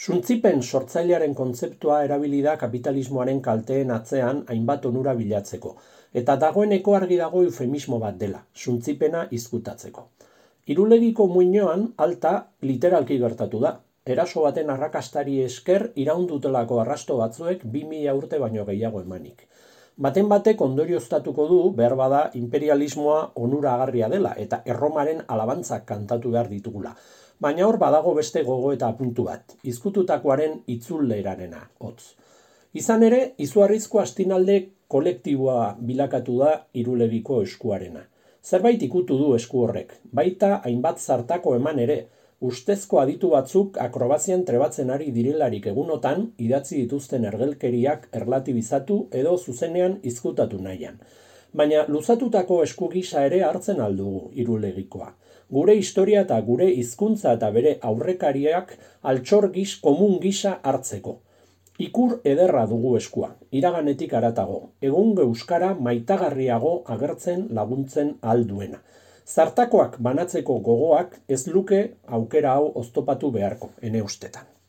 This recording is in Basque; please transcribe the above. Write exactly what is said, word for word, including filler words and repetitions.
Suntzipen sortzailearen kontzeptua erabili da kapitalismoaren kalteen atzean hainbat onura bilatzeko, eta dagoeneko argi dago eufemismo bat dela, suntzipena izkutatzeko. Irulegiko muinoan alta literalki gertatu da. Eraso baten arrakastari esker iraundutelako arrasto batzuek bi mila urte baino gehiago emanik. Baten batek ondorioztatuko du behar bada imperialismoa onuragarria dela eta Erromaren alabantzak kantatu behar ditugula. Baina hor badago beste gogo eta apuntu bat, izkututakoaren itzullerarena, hotz. Izan ere, izugarrizko astinalde kolektiboa bilakatu da Irulegiko eskuarena. Zerbait ikutu du esku horrek, baita hainbat zartako eman ere, ustezko aditu batzuk akrobazian trebatzen ari direlarik egunotan idatzi dituzten ergelkeriak erlatibizatu edo zuzenean izkutatu nahian. Baina luzatutako esku gisa ere hartzen aldugu Irulegikoa. Gure historia eta gure hizkuntza eta bere aurrekariak altxor gis komun gisa hartzeko. Ikur ederra dugu eskua, iraganetik haratago, egungo euskara maitagarriago agertzen laguntzen alduena. Zartakoak banatzeko gogoak ez luke aukera hau oztopatu beharko, ene ustetan.